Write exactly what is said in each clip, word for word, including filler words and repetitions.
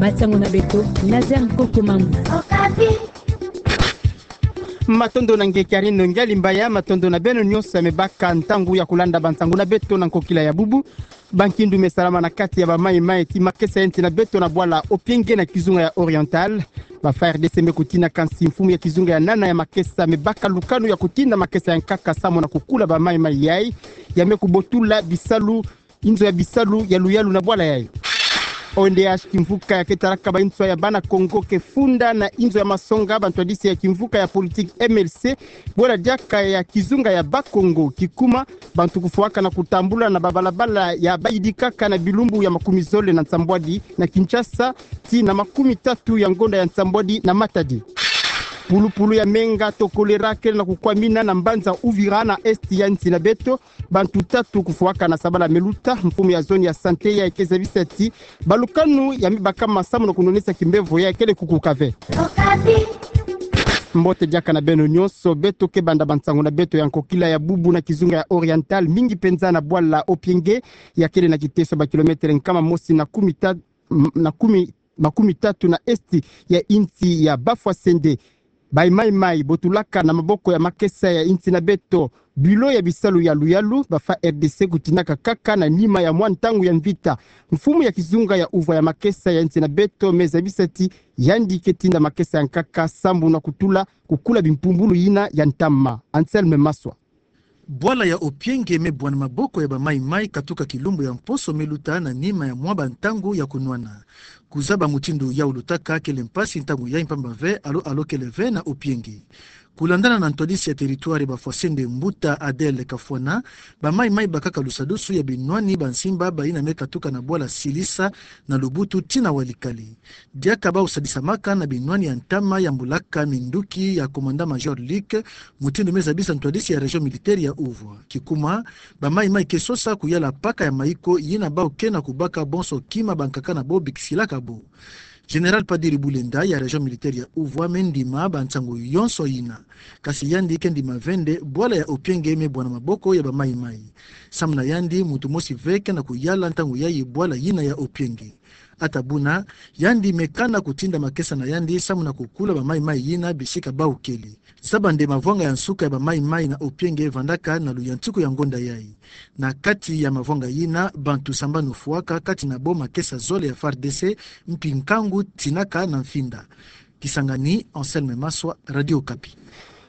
Bansangu na beto, Nazaire Nkokomambu. Matondo na nge Karine Ngialimbaya, matondo na beno nyonso ya mebaka ntangu ya kulanda bansangu na beto na nkokila ya bubu. Bankindu me salama na kati ya bamaimai ti makesa ya nsi na beto na bwala Opienge na kizunga ya Oriental. Ba F A R D C me kutina kansi mfumu ya kizunga ya nana ya makesa mebaka lukanu ya kutinda makesa ya nkaka samu na kukula bamaimai yai ya me kubotula bisalu, inzo ya bisalu ya luyalu na bwala yai. O N D H kimvuka ya ke talaka ba nswa ya bana Kongo ke funda na inzo ya masonga bantwadisi ya kimvuka ya politique M L C, bwela diaka ya kizunga ya Bakongo. Kikuma, bantu kufwaka na kutambula na babalabala ya bayidikaka na bilumbu ya makumi zole na nsambwadi na Kinshasa, tii na makumi tatu ya ngonda ya nsambwadi na Matadi. Pulupulu ya menga to kolera kele na kukwamina na mbanza Uvira na esti ya nsi na beto. Bantu tatu kufwaka na sabala meluta. Mfumu ya zone ya santé ya ke zabisa ti balukanu ya mibaka masamu na kunonesa kimbevo ya kele kukuka ve. Mbote diaka na beno nyonso, beto ke banda bansangu na beto ya nkokila ya bubu na kizunga ya Oriental, mingi penza na bwala Opienge ya kele na kiteso ba kilometre nkama mosi na kumi ta-, m-, na kumi, makumi tatu na esti ya insi ya Bafwasende. Bamaimai botulaka na maboko ya makesa ya nsi na beto bilo ya bisalu ya luyalu, ba F A R D C kutinaka kaka na nima ya mwa ntangu ya mvita. Mfumu ya kizunga ya uvwa ya makesa ya nsi na beto me zabisa ti yandi ke tinda makesa ya nkaka sambu na kutula kukula bimpumbulu yina ya ntama. Anselme Maswa. Bwala ya Opienge me bwana maboko ya bamaimai katuka kilumbu ya mposo meluta na nima ya mwa bantangu ya kunwana. Kuzaba mutindu ya ulutaka kele mpasi ntangu ya mpamba ve alo alo kele ve na Opienge. Kulandana na ntwadisi ya territoire Bafwasende, mbuta Adèle Kafwana, bamaimai bakaka lusadusu ya binwani ba nsimba bayina me katuka na bwala Silisa na Lubutu tii na Walikale. Diaka bau sadisamaka na binwani ya ntama ya mbulaka minduki ya commandant-major Luc, mutindu me zabisa ntwadisi ya région militaire ya uvwa. Kikuma, bamaimai ke sosa kuyala paka ya maiko yina bau ke na kubaka bonso kima bankaka na bo bikisilaka bo. Général Padiri Bulenda ya région militaire ya uvwa me ndima bansangu yonso yina. Kasi yandi ke ndima ve nde bwala ya Opienge me bwana maboko ya bamaimai. Samu na yandi, muntu mosi ve ke na kuyala ntangu yayi bwala yina ya Opienge. Ata buna, yandi me kana kutinda makesa na yandi samu na kukula bamaimai yina bisika bau kele. Zaba nde mavwanga ya nsuka ya bamaimai na Opienge vandaka na luyantiku ya ngonda yayi. Na kati ya mavwanga yina, bantu sambanu fwaka, kati na bo makesa zole ya F A R D C, mpi nkangu tinaka na mfinda. Kisangani, Anselme Maswa, Radio Okapi.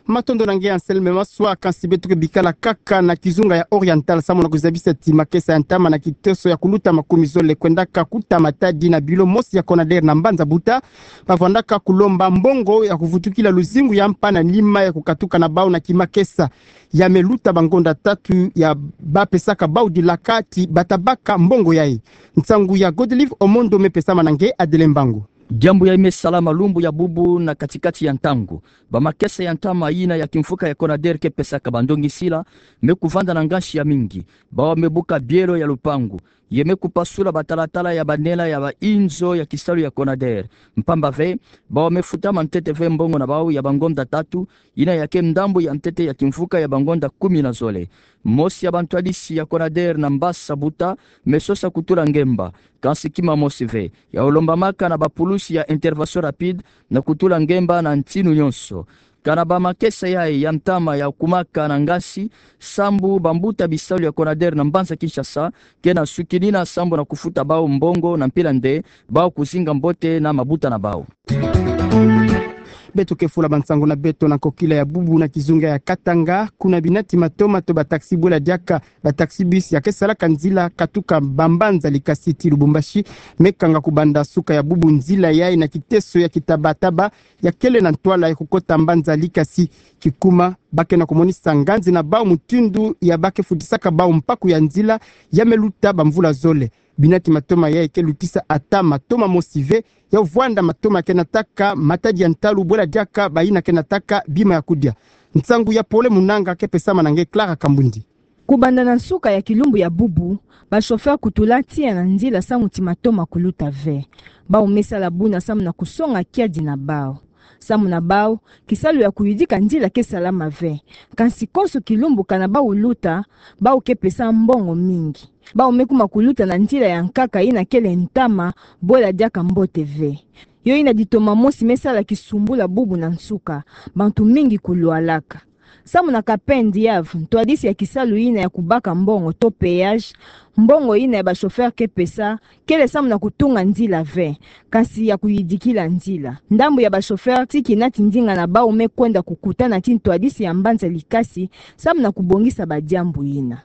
Matondo na nge Anselme Maswa. Kansi beto ke bikala kaka na kizunga ya Oriental samu na kuzabisa ti makesa ya ntama na kiteso ya kuluta makumi zole kwendaka kuta Matadi na bilo mosi ya Conader na mbanza Buta, bavwandaka kulomba mbongo ya kuvutukila luzingu ya mpa na nima ya kukatuka na bau na kimakesa. Ya meluta bangonda tatu ya bapesaka bau dilaka ti bata baka mbongo yayi. Nsangu ya Godelive Omondo me pesama na nge Adele Mbangu. Diambu yayi me salama lumbu ya bubu na katikati ya ntangu. Bamakesa ya ntama yina ya kimfuka ya Conader ke pesaka bandongisila me kuvanda na ngansi ya mingi. Bau me buka bielo ya lupangu, ye me kupasula batalatala ya banela ya bainzo ya kisalu ya Conader. Mpamba ve, bau me futa mantete ve mbongo na bau ya bangonda tatu, yina ya ke ndambu ya ntete ya kimfuka ya bangonda kumi na zole. Mosi ya bantwadisi ya Conader na mbanza Buta me sosa kutula ngemba. Kansi kima mosi ve, ya ulombamaka na bapulusi ya intervention rapide na kutula ngemba na ntinu yonso. Kana bamakesa yayi ya ntama ya kumaka na ngansi, sambu bambuta bisalu ya Conader na mbanza Kinshasa ke na sukinina sambu na kufuta bau mbongo na mpila nde bau kuzinga mbote na mabuta na bau. Beto ke fula bansangu na beto na nkokila ya bubu na kizunga ya Katanga, kuna binati matoma to bataxi bwela diaka bataxi-bus ya ke salaka nzila katuka bambanza Likasi tii Lubumbashi, me kanga kubanda suka ya bubu nzila yayi na kiteso ya kitabataba ya kele na ntwala ya kukota mbanza Likasi. Kikuma, ba ke na kumonisa nganzi na bau mutindu ya ba ke futisaka bau mpaku ya nzila ya meluta bamvula zole. Binati matoma yayi ke lutisa ata matoma mosi ve, ya vwanda matoma ke nataka matadi ya ntalu bwela diaka bayina ke nataka bima ya kudia. Nsangu ya Pole Munanga ke pesama na nge Clara Kambundi. Kubanda na nsuka ya kilumbu ya bubu, ba chauffeur kutula tiya na nzila samu ti matoma kuluta ve. Bau me sala buna samu na kusonga kiadi na bau. Samu na bau, kisalu ya kuyidika nzila ke salama ve. Kansi konso kilumbu kana bau luta, bau ke pesa mbongo mingi. Bau me kuma kuluta na nzila ya nkaka yina kele ntama, bwela diaka mbote ve. Yo yina ditoma mosi me sala kisumbula bubu na nsuka, bantu mingi kulwalaka. Samu na Kapen Diav, ntwadisi ya kisalu yina ya kubaka mbongo to péage, mbongo yina ya ba chauffeur ke pesa, kele samu na kutunga nzila ve, kansi ya kuyidikila nzila. Ndambu ya ba chauffeur ti kina ti ndinga na bau me kwenda kukutana ti ntwadisi ya mbanza Likasi, samu na kubongisa badiambu yina.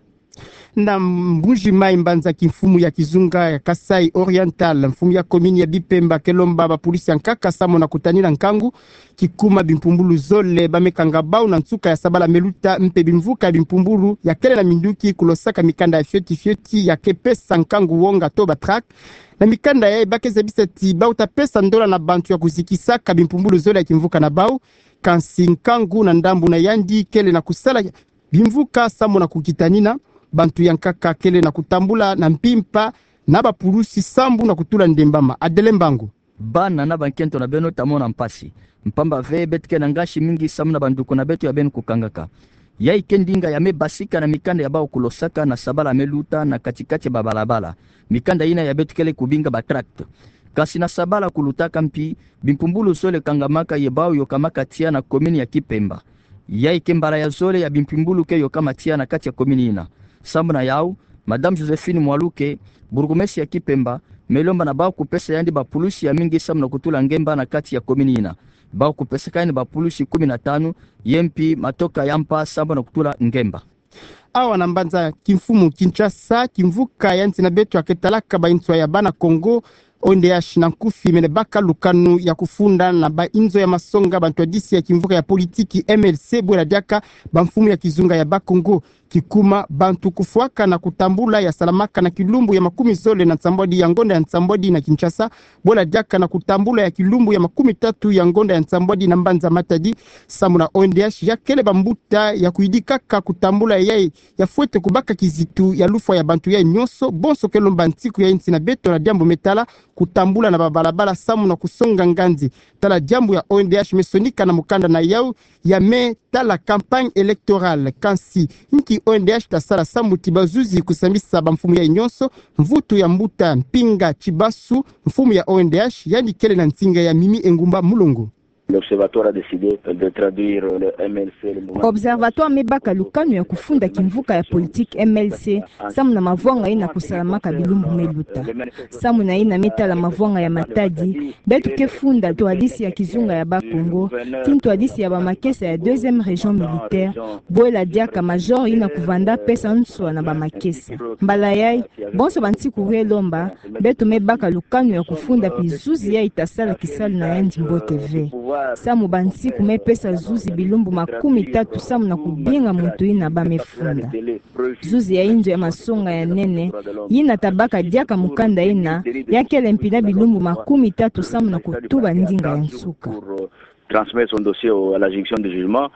Na Mbuji Mayi, mbanza kimfumu ya kizunga ya Kasaï Oriental, mfumu ya commune ya Bipemba ke lomba bapulusi ya nkaka samu na kutanina nkangu, kikuma bimpumbulu zole ba me kanga bau na nsuka ya sabala me luta, mpe bimvuka ya bimpumbulu ya kele na minduki kulosaka mikanda ya fioti fioti ya ke pesa nkangu wonga to ba tract. Na mikanda yayi ba ke zabisa ti bau ta pesa ndola na bantu ya kuzikisaka bimpumbulu zole ya kimvuka na bau, kansi nkangu na ndambu na yandi kele na kusala bimvuka samu na kukitanina. Bantu ya nkaka kele na kutambula na mpimpa na bapulusi sambu na kutula ndembama. Adele Mbangu. Bana na bankento na beno, ta mona mpasi, mpamba ve beto ke na ngasi mingi samu na banduku na beto ya beno kukangaka. Yayi ke ndinga ya me basika na mikanda ya bau kulosaka na sabala me luta na kati-kati ya babalabala, mikanda yina ya beto kele kubinga ba tract. Kansi na sabala kulutaka mpi, bimpumbulu zole kangamaka ye bau yokamaka tiya na commune ya Kipemba. Yayi ke mbala ya zole ya bimpumbulu ke yokama tiya na kati ya commune yina. Samu na yau, Madame Joséphine Mwaluke, bourgmestre ya Kipemba, me lomba na bau kupesa yandi bapulusi ya mingi samu na kutula ngemba na kati ya commune yina. Bau kupesaka yandi bapulusi kumi na tanu, ye mpi matoka ya mpa samu na kutula ngemba. Awa na mbanza kimfumu Kinshasa, kimvuka ya nsi na beto ya ke talaka ba inswa ya bana Kongo, O N D H na nkufi, mene baka lukanu ya kufunda na ba inzo ya masonga bantwadisi ya kimvuka ya politiki M L C, bwela diaka bamfumu ya kizunga ya Bakongo. Kikuma bantu kufwaka na kutambula ya salamaka na kilumbu ya makumi zole na nsambwadi ya ngonda ya nsambwadi na Kinshasa, bwela diaka na kutambula ya kilumbu ya makumi tatu ya ngonda ya nsambwadi na mbanza Matadi. Samu na O N D H, ya kele bambuta ya kuyidikaka kutambula yayi ya fwete kubaka kizitu ya lufwa ya bantu yayi nyonso. Bonso ke lomba nsiku ya nsi na beto na diambu me tala kutambula na babalabala samu na kusonga nganzi. Tala diambu ya O N D H me sonika na mukanda na yau ya me tala campagne électorale. Kansi nki O N D H ta sala samu ti bazuzi kusambisa bamfumu yayi nyonso? Mvutu ya mbuta Mpinga Tibasu, mfumu ya O N D H, yandi kele na nsinga ya Mimi Engumba Mulongo. L'Observatoire a décidé de traduire le M L C, le mouvement. Observatoire me baka lukanu ya kufunda kimvuka ya politiki M L C, samu na mavwanga yina kusalamaka bilumbu me luta. Samu na yina me tala mavwanga ya Matadi, beto ke funda ntwadisi ya kizunga ya Bakongo, ti ntwadisi ya bamakesa ya deuxième région militaire, bwela diaka major yina kuvanda pesa nswa na bamakesa. Mbala yayi, bonso bansiku ke lomba, beto me baka lukanu ya kufunda mpi zuzi yayi ta sala kisalu na yandi mbote ve. Samu bansiku me pesa zuzi bilumbu makumi tatu samu na kubinga muntu yina ba me funda. Zuzi ya inzo ya masonga ya nene, yina ta baka diaka mukanda yina, ya kele mpi na bilumbu makumi tatu samu na kutuba ndinga ya nsuka. Transmettre son dossier au, à la juridiction de jugement.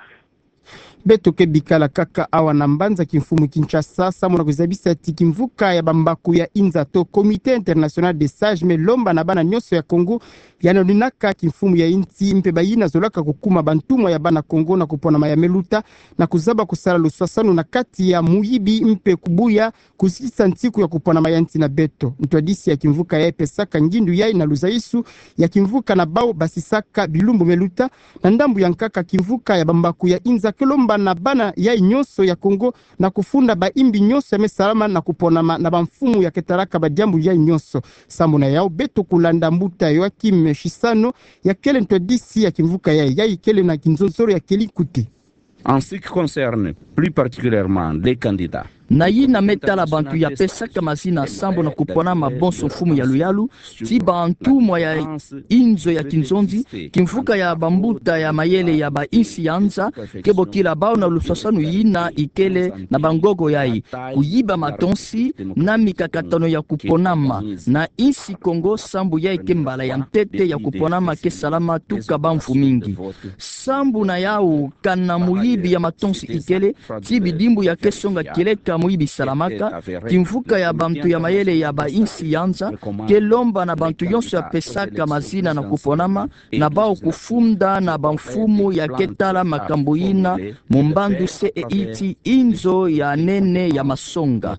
Beto ke bikala kaka awa na mbanza kimfumu Kinshasa, samu na kuzabisa ti kimvuka ya bambaku ya inza to Comité International des Sages me lomba na bana nyonso ya Kongo, ya naninaka kimfumu ya insi mpe bayina zolaka kukuma bantumwa ya bana Kongo na kuponama ya me luta, na kuzaba kusala luswaswanu na kati ya muyibi mpe kubuya kusikisa nsiku ya kuponama ya nsi na beto. Ntwadisi ya kimvuka yayi pesaka ngindu yayi na luzaisu ya kimvuka na bau basisaka bilumbu me luta. Na ndambu ya nkaka, kimvuka ya bambaku ya inza ke lomba na bana yayi nyonso ya Kongo na kufunda bayimbi nyonso ya me salama na kuponama na bamfumu ya ke talaka badiambu yayi nyonso. Samu na yau, beto kulanda mbuta Yoachim Chissano, ya kele ntwadisi ya kimvuka yayi, yayi kele na kinzonzolo ya kele nkuti. En ce qui concerne plus particulièrement les candidats, na yina me tala bantu ya pesaka mazina sambu na kuponama bonso mfumu ya luyalu, ti bantumwa ya inzo ya kinzonzi, kimvuka ya bambuta ya mayele ya bainsi ya nza ke bokila bau na luswaswanu yina ikele na bangogo yayi, kuyiba matonsi na mikakatano ya kuponama na insi Kongo, sambu yayi ke mbala ya ntete ya kuponama ke salama tuka bamvu mingi. Sambu na yau, kana muyibi ya matonsi ikele, ti bidimbu ya ke songa kieleka Samui bisalamaka, kimvuka ya bantu ya mayele ya ba insi ya nza ke lomba na bantu yonso ya pesaka mazina na kuponama, na bau kufunda na bamfumu ya ke tala makambu ina mu mbandu se e iti inzo ya nene ya masonga.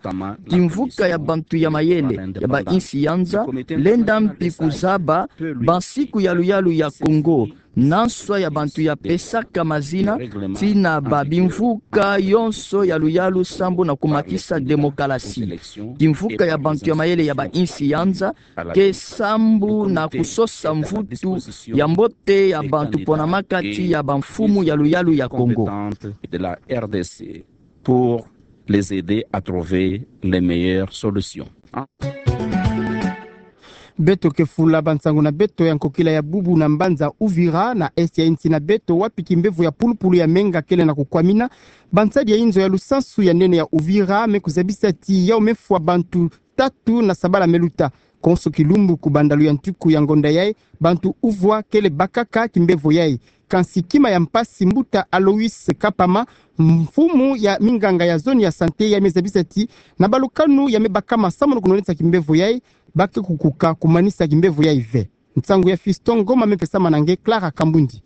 Kimvuka ya bantu ya mayele ya ba insi ya nza lenda mpi kuzaba bansiku ya luyalu ya Kongo, na nswa ya bantu ya pesaka mazina, tii na ba bimvuka yonso ya luyalu sambu na kumakisa demokalasi. Kimvuka ya bantu ya mayele ya ba insi ya nza ke sambu na kusosa mvutu ya mbote ya bantu ponamaka tii ya bamfumu ya luyalu ya Kongo. De la R D C pour les aider à trouver les meilleures solutions. Beto ke fula bansangu na beto ya nkokila ya bubu na mbanza Uvira na est ya insi na beto, wapi kimbevo ya pulupulu ya menga kele na kukwamina. Bansadi ya inzo ya lusansu ya nene ya Uvira me kuzabisa ti yau me fwa bantu tatu na sabala me luta. Konso kilumbu kubanda luyantiku ya ngonda yai, bantu uvwa kele bakaka kimbevo yai. Kansi kima ya mpasi, mbuta Alois Kapama, mfumu ya minganga ya zone ya santé yai, me zabisa ti na balukanu ya me bakama samu na kunonesa kimbevo yai, ba ke kukuka kumanisa kimbevo yai ve. Nsangu ya Fiston Ngoma me pesamana nge Clara Kambundi.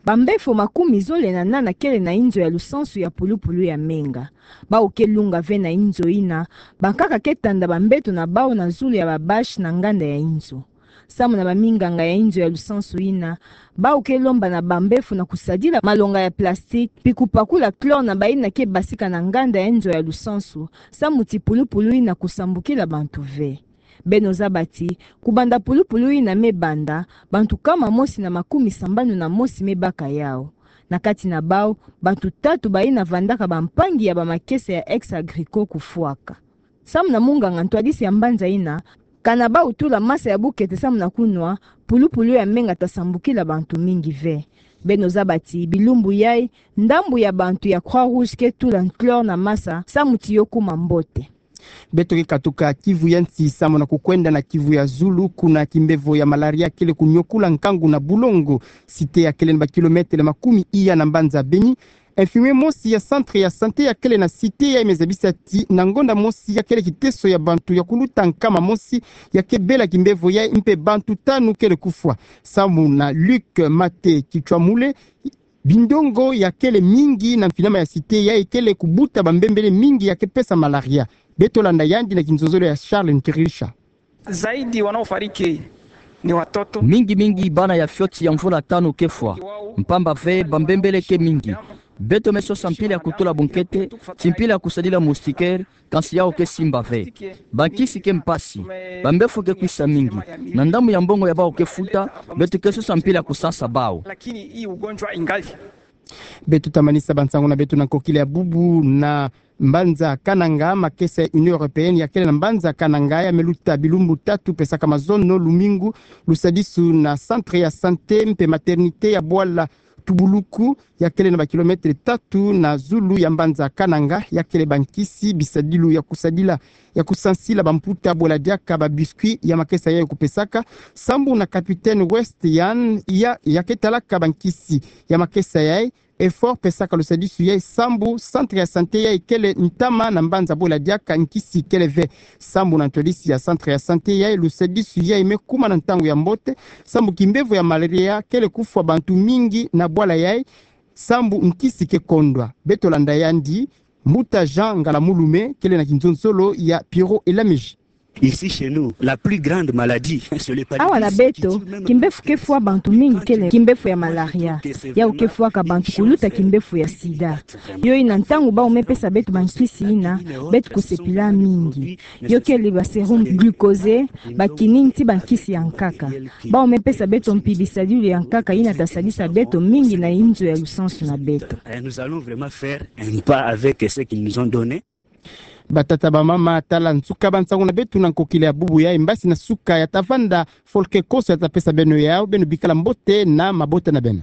Bambefo makumi zole na nana kele na inzo ya lusansu ya pulupulu ya menga. Bau ke lunga ve na inzo ina, bankaka ke tanda bambeto na bau na zulu ya ba bâche na nganda ya inzo. Samu na baminganga ya inzo ya lusansu ina, bau ke lomba na bambefo na kusadila malonga ya plastique, mpi kupakula chlore na baina ke basika na nganda ya inzo ya lusansu, samu ti pulupulu ina kusambukila bantu ve. Beno zaba ti, kubanda pulupulu ina me banda, bantu kama mosi na makumi sambanu na mosi me baka yau. Na kati na bau, bantu tatu baina vandaka bampangi ya bamakesa ya Ex Agricole kufwaka. Samu na munganga ntwadisi ya mbanza ina, kana bau tula masa ya bukete samu na kunwa, pulupulu ya menga ta sambukila bantu mingi ve. Beno zaba ti, bilumbu yai, ndambu ya bantu ya Croix Rouge ke tula chlore na masa, samu ti yo kuma mbote. Beto ke katuka Kivu ya nsi samu na kukwenda na Kivu ya zulu, kuna kimbevo ya malaria kele kunyokula nkangu na Bulongo, cité ya kele na ba kilomètre makumi iya na mbanza Beni. Infirmier mosi ya centre ya santé ya kele na cité yai me zabisa ti na ngonda mosi ya kele kiteso ya bantu ya kuluta nkama mosi ya ke bela kimbevo yai, mpe bantu tanu kele kufwa. Samu na Luc Mate Kitshwamule, bindongo ya kele mingi na mfinama ya cité yai kele kubuta bambembele mingi ya ke pesa malaria. Beto landa yandi na kinzonzolo ya Charles Nkirilisha. Zaidi wanaofariki ni watoto. Mingi mingi bana ya fioti ya mvula tanu ke fwa, mpamba ve bambembele ke mingi. Beto me sosa mpila ya kutula bunkete, ti mpila ya kusadila moustiquaire, kansi yau ke simba ve. Bankisi ke mpasi, bambefo ke kwisa mingi. Na ndambu ya mbongo ya bau ke futa, beto ke sosa mpila ya kusansa bau. Lakini hii ugonjwa ingali. Beto ta manisa bansangu na beto na nkokila ya bubu na mbanza Kananga, makesa ya Union Européenne ya kele na mbanza Kananga ya me luta bilumbu tatu, pesaka mazono, lumingu, lusadisu na centre ya santé mpe maternité ya bwala Tubuluku, ya kele na ba kilomètre tatu na zulu ya mbanza Kananga, ya kele bankisi, bisadilu ya kusadila, ya kusansila bamputa, bwela diaka ba biscuit ya makesa yai kupesaka, sambu na Capitaine West Yan ya, ya ke talaka bankisi ya makesa yai, effort pesaka lusadisu yai sambu centre ya santé yai kele ntama na mbanza bwela diaka nkisi kele ve. Sambu na ntwadisi ya centre ya santé yai, lusadisu yai me kuma na ntangu ya mbote, sambu kimbevo ya malaria kele kufwa bantu mingi na bwala yai, sambu nkisi ke kondwa. Beto landa yandi, mbuta Jean Ngalamulume, kele na kinzonzolo ya Pierrot Elamiji. Ici chez nous, la plus grande maladie, c'est le paludisme. Awa na beto, kimbefu ke fwa bantu mingi kele kimbefu ya malaria. Yau ke fwaka bantu kuluta kimbefu ya sida. Yo ina ntangu bau me pesa beto bankisi ina, beto kusepila mingi. Yo kele ba sérum glucosé, ba quinine ti bankisi ya nkaka. Bau me pesa beto mpi bisadilu ya nkaka ina ta sadisa beto mingi na inzo ya lusansu na beto. Et nous allons vraiment faire un pas avec ce qu'ils nous ont donné. Batata, bamama, tala nsuka bansangu na beto na nkokila ya bubu yai. Mbasi na suka ya ta vanda folke konso ya ta pesa beno yau, beno bikala mbote na mabota na beno.